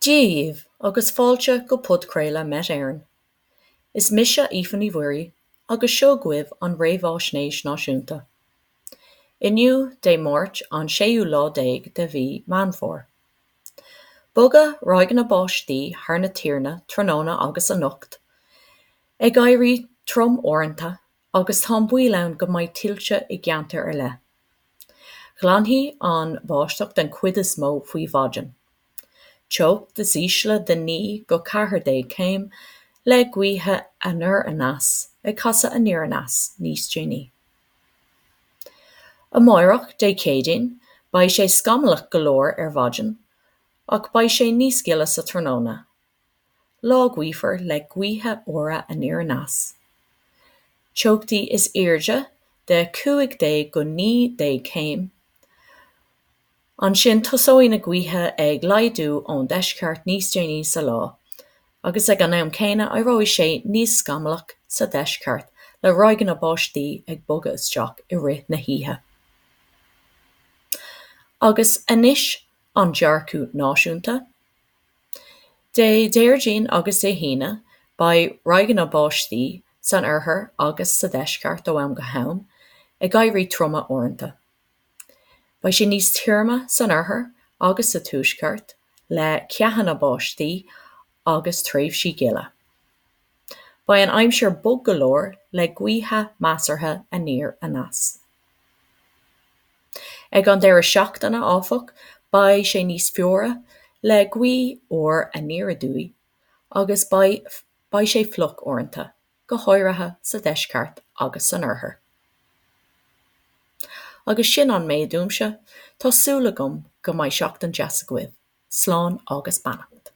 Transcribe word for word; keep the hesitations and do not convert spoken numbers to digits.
Dia dhaoibh agus fáilte go podchraoladh Met Éireann. Is mise Aoife Ní Mhuirí agus seo chugaibh an Réamhaisnéis Náisiúnta. Inniu Dé Máirt an séú lá déag de mhí Meán Fómhair. Bogfaidh ráigeanna báistí thar na tíre tráthnóna agus anocht, ag éirí trom uaireanta agus tá an baol ann go mbeidh tuilte i gceantair ar leith. Glanfaidh an bháisteach den chuid is mó faoi mhaidin. Teocht is ísle de naoi go ceathair déag céim le gaotha anoir aneas ag casadh aniar aneas níos déanaí. Amárach Dé Céadaoin, beidh sé scamallach go leor ar maidin, ach beidh sé níos gile sa tráthnóna. Lá gaofar le gaotha úra aniar aneas. Teochtaí is airde de cúig déag go naoi déag céim. Ansin tosóidh na gaotha ag laghdú ón deisceart níos déanaí sa lá, agus ag an am céanna éireoidh sé níos scamallach sa deisceart le ráigeanna báistí ag bogadh isteach i rith na hoíche. Agus anois an dearcadh náisiúnta. Dé Déardaoin agus Dé hAoine, beidh ráigeanna báistí san oirthear agus sa deisceart ó am go ham, ag éirí troma uaireanta. Beidh sé níos tirime san oirthear agus sa tuaisceart le ceathanna báistí agus tréimhsí gile. Beidh an aimsir bog go leor le gaotha measartha aniar aneas. Ag an deireadh seachtaine, áfach, beidh sé níos fuaire le gaoth úr aniar aduaidh agus beidh beidh sé fliuch uaireanta, go háirithe sa deisceart agus san oirthear. Agus sin an méid uaimse, tá súil agam go mbeidh seachtain deas agaibh. Slán agus beannacht.